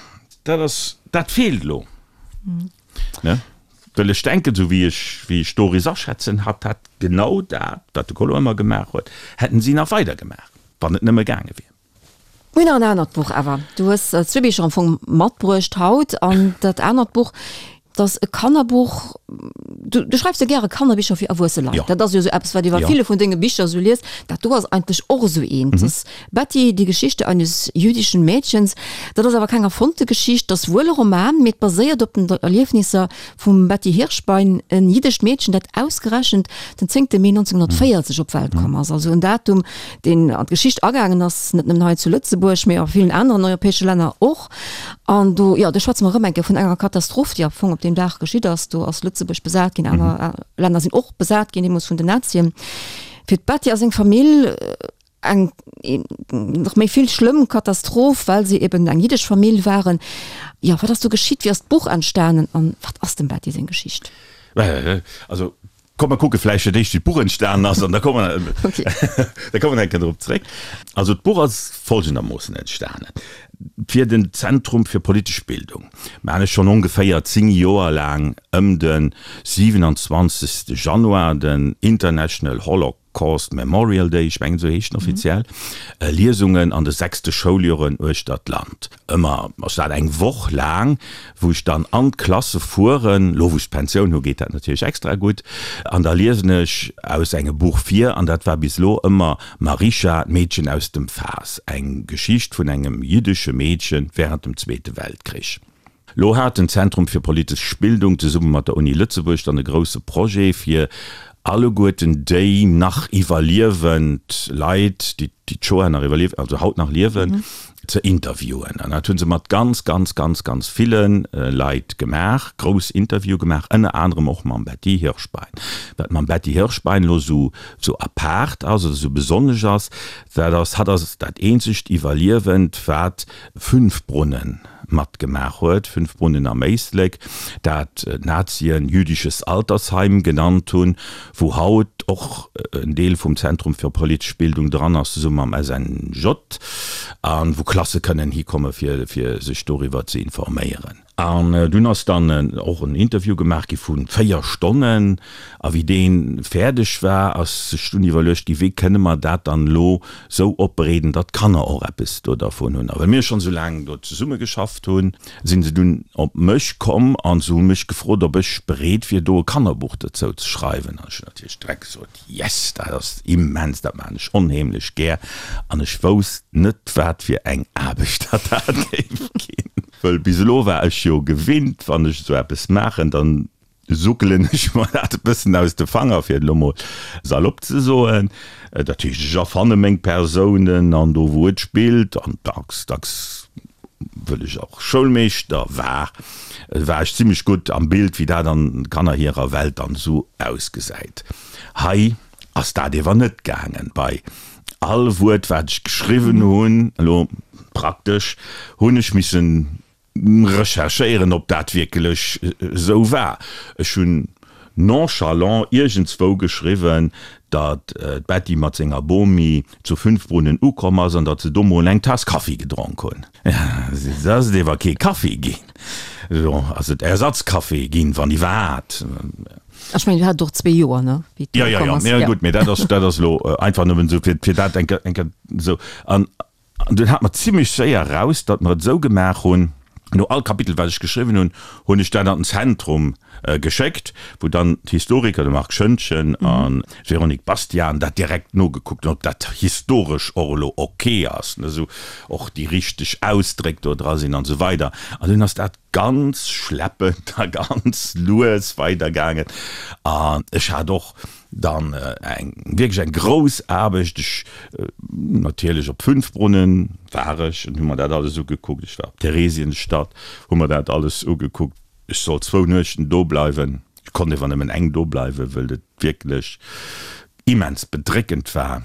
dat ass, dat feelt elo, ne? Well ech denken, esou wéi ech, wéi ech d'Doris aschätzen, hat dat genau dat, wat de Colo ëmmer gemaach huet, hätten si nach weidergemaach, wann et nëmme gaange wier. Mir hunn nach en anert Buch awer. Du hues zwee Bicher am Fong matbruecht haut an dat anert Buch, dat ass e Kannerbuch. Du, du schreifs jo gäre Kannerbicher fir erwuesse Leit. Jo. Dat ass jo esou eppes, wat ee bei Jo. ville vun denge Bicher esou liest. Dat do ass eigentlech och esou eent. Dat ass Betty, die Geschichte eines jüdischen Mädchens. Dat ass awer keng erfonnte Geschicht, dat ass wuel e Roman, mee et baséiert op den Erliefnisser vum Betty Hirschbein, en jiddescht Meedchen, dat ausgerechent den zéngte Mee 1940 op d'Welt komm ass, also en Datum, deen an d'Geschicht agaangen ass, net nëmmen hei zu Lëtzebuerg, mee a villen aneren europäesche Länner och. An do, jo, do schwätze mer erëm eng Kéier vun enger Katastroph, déi am Fong op deem Dag geschitt ass. Do ass Lëtzebuerg besat ginn, aner Länner sinn och besat ginn, deemools vun den Nazien. Fir d'Betty a seng Famill eng nach méi vill schlëmm Katastroph, well se eben eng jiddesch Famill waren. Jo, wat ass do geschitt? Wéi ass d'Buch entstanen an wat ass dem Betty seng Geschicht? Also komm mer kucke vläicht fir d'éischt wéi d'Buch entstanen ass an da komme mer da komme mer eng Kéier drop zréck. Also d'Buch ass folgendermoossen entstanen, Fir den Zentrum fir politesch Bildung maan ech schonn ongeféier 10 Joer laang ëm de 27. Januar den International Holocaust Holocaust Memorial Day, ech mengen esou heescht en offiziell, Liesungen an de sechste Schouljoren uechter d'Land. Ëmmer ass dat eng Woch laang, wou ech dann an d'Klasse fueren, lo wou ech d'Pensioun hu geet dat natierlech extra gutt, an da liesen ech aus engem Buch vir, an dat war bis elo ëmmer Marisha, d'Meedchen aus dem Faass, eng Geschicht vun engem jiddesche Meedche wärend dem Zweete Weltkrich. Lo hat den Zentrum fir politesch Bildung zesumme mat der Uni Lëtzebuerg dann e grousse Projet fir alleguerten déi nach iwwerliewend Leit, déi d'Shoah nach iwwerlieft, also haut nach liewen, ze interviewen. An dat hu se mat ganz, ganz, ganz, ganz ville Leit gemaach, grouss Interviewe gemaach, ënner anerem och mam Betty Hirschbein. Wat mam Betty Hirschbein elo esou apaart ass oder esou besonnesch ass, dat ass, hatt ass dat eenzegt Iwwerliewend, wat Fünfbrunnen matgemaach huet, Fünfbrunnen am Éislek, dat d'Nazien jüdisches Altersheim genannt hunn, wou haut och en Deel vum Zentrum für politische Bildung dran ass, zesumme mam SNJ, a wou Klasse kënnen hikomme fir sech doriwwer ze informéieren. An dunn ass dann och en Interview gemaach gi vu 4 Stonnen. A wéi dee fäerdeg war, ass sech dunn iwwerluecht gi, wéi kënne mer dat dann elo sou opbereeden, datt d'Kanner och eppes do dervun hunn. A well mir schonn esou laang do zesumme geschafft hunn, sinn se dunn op mech komm a se hu mech gefrot, ob ech bereet wier, do e Kannerbuch dozou ze schreiwen. An ech hunn natierlech direkt gesot, Yes, dat ass immens, dat maachen ech onheemlech gär. An ech wousst net, wat fir eng Aarbecht dat dat géif ginn. Wëll bis elo war ech jo gewinnt, wann ech esou eppes maachen, dann suckelen ech mer dat e bëssen aus de Fanger, fir et elo mol salopp ze soen. Dat heescht, ech erfanne meng Persounen an do wou et spillt an dacks, dacks wëll ech och Schoulmeeschter war, war ech zimlech gutt am Bild, wéi dat an Kanner hirer Welt dann esou ausgesäit. Hei ass dat ewer net gaangen. Bei all Wuert wat ech geschriwwen hunn, elo praktesch, hunn ech missen recherchéieren, ob dat wierklech esou war. Ech hunn nonchalant iergendswou geschriwwen, datt d'Betty mat senger Bomi zu Fünfbrunnen ukomm ass an datt se do mol eng Taass Kaffi gedronk hunn. Et ass et ewer kee Kaffi ginn, do ass et Ersatzkaffi ginn, wann iwwerhaat. Ech mengen, du hat och zwee Joer, ne, wéi du ukomm ass. Jo, jo, jo, gutt, mee dat ass, dat ass elo einfach nëmmen esou, fir, fir dat eng Kéier, eng Kéier esou. An An dunn hat mer zimlech séier eraus, datt mer et esou gemaach hunn, no all Kapitel, wat ech geschriwwen hunn, hunn ech dat an den Zentrum geschéckt, wou dann d'Historiker, de Marc Schoentgen an d'Véronique Bastian, dat direkt nogekuckt hunn, ob dat historesch och elo ok ass, ne, esou och déi richteg Ausdréck do dra sinn an esou weider. An dunn ass dat ganz schleppend a ganz lues weidergaangen. An ech hat och dann eng wierklech eng grouss Aarbecht. Ech natierlech op Fünfbrunnen war ech an hu mer dat alles ugekuckt. Ech war op Theresienstadt, hu mer dat alles ugekuckt. Ech sollt zwou Nuechten do bleiwen. Ech konnt ewer nëmmen eng do bleiwen, wëll et wierklech immens bedréckend war.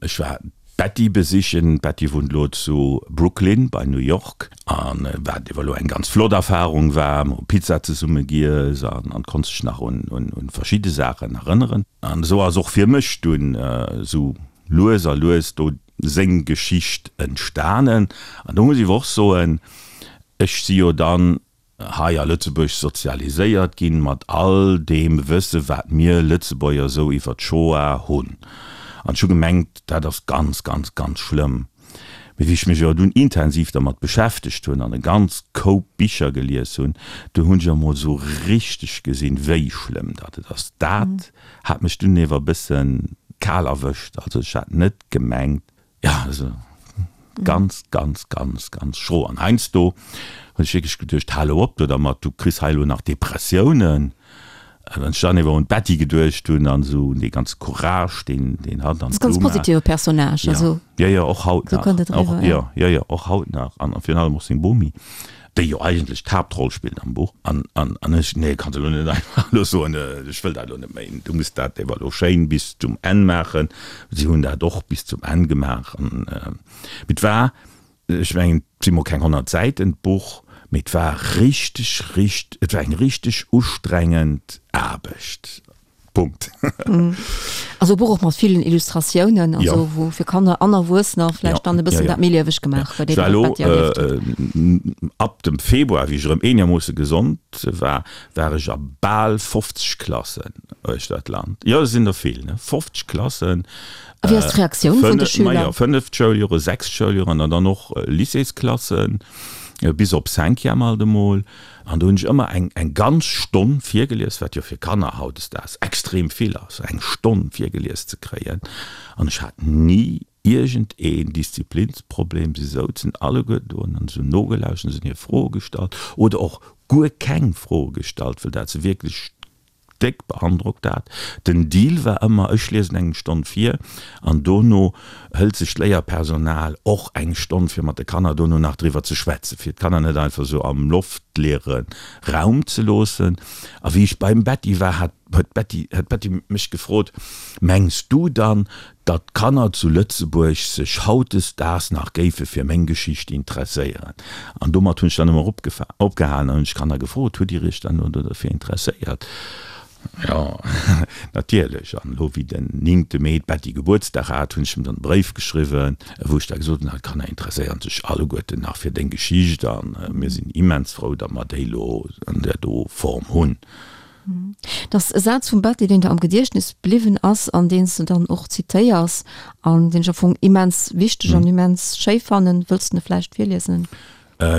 Ech war d'Betty besichen. D'Betty wunnt elo zu Brooklyn bei New York. An wat ewer elo eng ganz flott Erfahrung war, mer hu Pizza zesumme giess an an konnt sech nach un un verschidde Saachen erënneren. An esou ass och fir mech dunn esou lues a lues do seng Geschicht entstanen. An do muss ech ewer och soen, ech si jo dann hei a Lëtzebuerg sozialiséiert ginn, mat all deem Wësse wat mir Lëtzebuerger esou iwwer d'Shoah hunn. An ech hu gemengt, dat ass ganz, ganz, ganz schlëmm. Mee wéi ech mech awer dunn intensiv dermat beschäftegt hunn an e ganz Koup Bicher gelies hunn, du hunn ech emol esou richteg gesinn, wéi schlëmm dat et ass. Dat hat mech dunn ewer e bësse kal erwëscht. Also ech hat net gemengt, Jo, also ganz, ganz, ganz, ganz schro. An heiansdo hunn ech wierklech geduecht, hal elo op do dermat, du kriss hei elo nach Depressiounen. A wann ech dann ewer un d'Betty geduecht hunn an esou un dee ganze Courage, deen, deen hatt an d'Bluma. Ganz positive Personnage, also. Jo, jo, och haut nach. Esou kënnt et eriwwer, jo. Jo, jo, och haut nach. An virun allem och seng Bomi. Déi jo eigentlech d'Haaptroll spillt am Buch. An, an, an ech, nee, kanns elo net einfach elo soen, ech wëll dat elo net méi, du muss dat ewer elo schéin bis zum Enn maachen. Si hunn dat och bis zum Enn gemaach. An, mee et war, ech mengen, et si mol keng 100 Säiten, d'Buch, mee et war richteg, richt, et war eng richteg ustrengend Aarbecht. Punkt. Also e Buch och mat villen Illustratiounen, also ja. wou fir Kanner an Erwuessener vläicht ja. dann e bëssen ja, ja. dat méi lieweg gemaach huet. Ech war elo äh, ab dem Februar, wéi ech erëm eenermoosse gesond war, war ech a bal 50 Klassen uechter d'Land. Jo, dat sinn der vill, ne? 50 Klassen. A wéi ass d'Reaktioun vun de Schüler? Majo, fënneft Schouljoren, sechst Schouljoren an dann och Lycéesklassen, bis op Cinquième alt emol. An do hunn ech ëmmer eng eng ganz Stonn virgelies, wat jo fir Kanner hautdesdaags extrem vill ass, eng Stonn virgelies ze kréien. An ech hat ni iergend een Disziplinsproblem. Si souzen alleguerten do an se hunn nogelauschtert, se hunn hir Froe gestallt oder och guer keng Froe gestallt, wëll dat se wierklech Déck beandrockt dat. Den Deal war ëmmer, ech liesen eng Stonn vir an dono hëlt sech d'Léierpersonal och eng Stonn fir mat de Kanner dono nach driwwer ze schwätzen, fir d'Kanner net einfach esou am loftleere Raum ze loossen. A wéi ech beim Betty war, hat huet d'Betty huet d'Betty mech gefrot, Mengs du dann, datt d'Kanner zu Lëtzebuerg sech hautdesdaags nach géife fir meng Geschicht interesséieren. An domat hunn ech dann ëmmer opgehalen an hunn ech d'Kanner gefrot, Hutt Dir Iech dann elo dofir interesséiert? Jo. Natierlech. An elo wéi den néngte Mee d'Betty Gebuertsdag hat, hunn ech em dann e Bréif geschriwwen, wou ech da gesot hunn, D'Kanner interesséieren sech alleguerten nach fir deng Geschicht a mir sinn immens frou, datt mer déi elo an där do Form hunn. Dat ass e Saz vum Betty, deen der am Gediechtnes bliwwen ass an deen s de dann och zitéiers an deen ech am Fong immens wichteg an immens schéi fannen. Wëlls de e vläicht virliesen?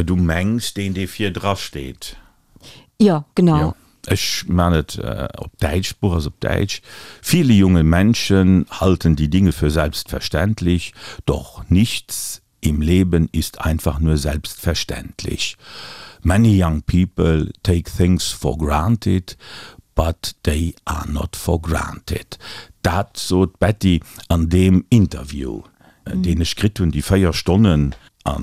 Du mengs deen, dee virdra steet? Jo, genau. Jo, ech man et op Däitsch, d'Buch ass op Däitsch. Viele junge Menschen halten die Dinge für selbstverständlich, doch nichts im Leben ist einfach nur selbstverständlich. Many young people take things for granted, but they are not for granted. Dat sot d'Betty an deem Interview, deen ech kritt hunn, déi 4 Stonnen. A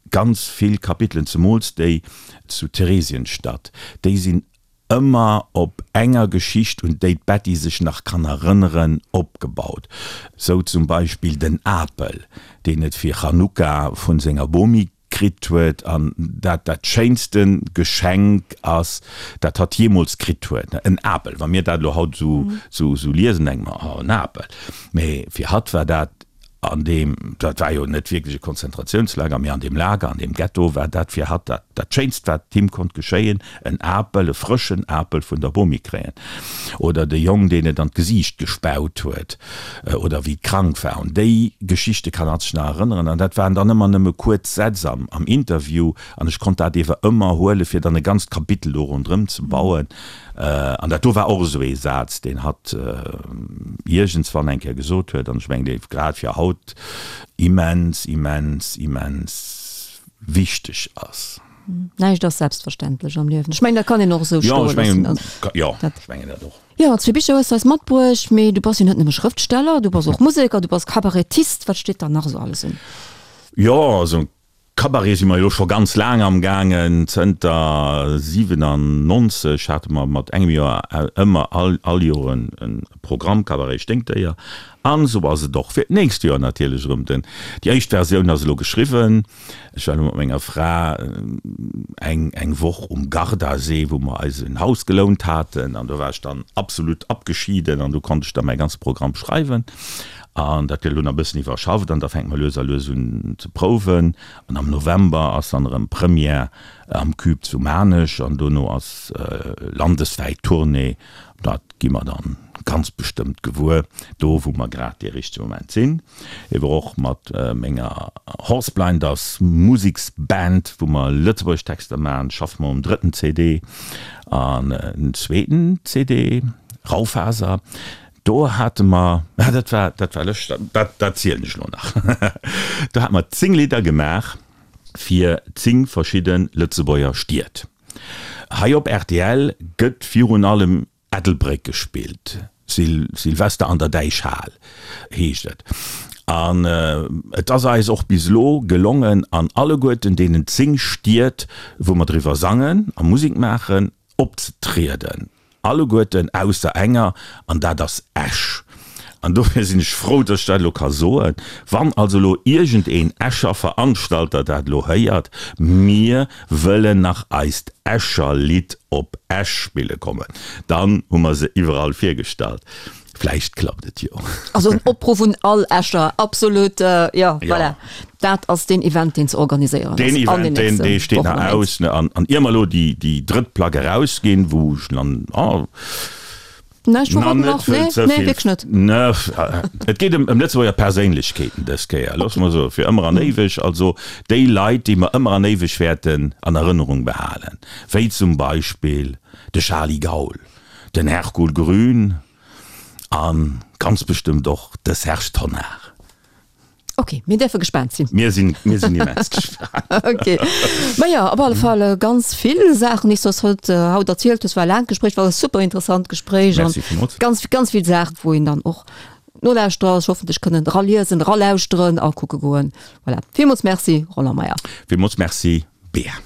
ganz vill Kapitelen, zemools déi zu Theresienstadt, déi sinn ëmmer op enger Geschicht, un déi d'Betty sech nach kann erënneren, opgebaut. Sou zum Beispill den Apel, deen et fir Chanukka vun senger Bomi kritt huet an dat dat schéinste Geschenk ass, dat hatt jeemools kritt huet. En Apel, wa mir dat elo haut esou liesen, denke mer, oh, en Apel. Mee fir hatt war dat An deem, dat war jo net wierklech e Konzentratiounslager, mee an deem Lager, an deem Ghetto war dat fir hatt dat, dat Schéinst, wat him konnt geschéien, en Apel, e frëschen Apel vun der Bomi kréien. Oder de Jong, deen et an d'Gesiicht gespaut huet, oder wéi et krank war. Un déi Geschichte kann hatt sech nach erënneren. An dat waren dann ëmmer nëmme kuerz Sätz am, am Interview. An ech konnt dat ewer ëmmer huelen, fir dann e ganzt Kapitel do ronderëm ze bauen. An dat do war och esou ee Saz, deen hatt iergendswann eng Kéier gesot huet, an ech mengen, dee grad fir haut immens, immens, immens wichteg ass. Näischt ass selbstverständlech am Liewen. Ech mengen, dat kann een och esou stoe loossen. Jo, ech mengen dat och. Jo, zwee Bicher hues de eis matbruecht, mee du bass jo net nëmme Schrëftsteller, du bass och Museker, du bass Kabarettist. Wat steet dann nach esou alles un? Jo, also Cabaret si mer jo scho ganz laang am gaangen. Zënter 97 hate mer mat engem Joer ëmmer all all Joer e Programm Cabaret Sténkdéier. An esou ass et och fir d'nächst Joer natierlech erëm. Den déi éischt Versioun ass elo geschriwwen. Ech war elo mat menger Fra eng eng Woch um Gardasee, wou mer eis en Haus gelount haten an do war ech dann absolut abgeschieden an do konnt ech da mäi ganze Programm schreiwen. An dat gëtt elo nach e bëssen iwwerschafft an da fänke mer lues a lues un ze prouwen. An am November ass dann erëm Première am Cube zu Maarnech an dono ass landeswäit Tournée. Dat gi mer dann ganz bestëmmt gewuer, do wou mer grad dee richtege Moment sinn. Ewer och mat menger Horse Blinders Museksband, wou mer lëtzebuergesch Texter maachen, schaffe mer um drëtten CD. An den zweeten CD, Raufaser, Do hate mer, ah dat war, dat war lëschteg, dat, dat zielen ech elo nach, do hate mer 10 Lidder gemaach fir 10 verschidde Lëtzebuerger Stied. Hei op rtl gëtt virun allem Ettelbréck gespillt, Sil, Silvester an der Däichhal heescht et. An et ass eis och bis elo gelongen, an alleguerten deenen 10 Stied, wou mer driwwer sangen a Musek maachen, opzetrieden. Alleguerten ausser enger, an dat ass Esch. An dofir sinn ech frou, dass ech dat elo ka soen. Wann also elo iergendeen Escher Veranstalter dat elo héiert, Mir wëllen nach eist Escher Lidd op Esch spille kommen, dann hu mer se iwwerall virgestallt. Vläicht klappt et jo. Also en Opruff un all Escher, absolut, jo, voilà. Dat ass deen Event, deen ze organiséieren ass. Deen Event, deen, dee steet nach aus. An, an ier mer elo déi, déi drëtt Plack erausginn, wou ech dann, oh, Näischt verroden nach? Nee, nee, wierklech net. Ne, et geet ëm, ëm Lëtzebuerger Perséinlechkeeten dës Kéier, loosse mer soen, fir ëmmer an éiweg. Also déi Leit, déi mer ëmmer an éiweg wäerten an Erënnerung behalen, wéi zum Beispill de Charly Gaul, den Hercule Grün a ganz bestëmmt och de Serge Tonnar. Ok, mir däerfe gespaant sinn. Mir sinn, mir sinn immens gespaant. Ok. Maja, op alle Fall ganz vill Saachen, déi s du eis haut, haut erzielt hues. War e laangt Gespréich, war e super interessant Gespréich an Merci villmools. ganz, ganz vill Saachen, wou een dann och Nolauschterer sech hoffentlech kënnen eraliesen, eralauschteren a kucke goen. Voilà. Villmools Merci, Roland Meyer. Villmools Merci, Bea.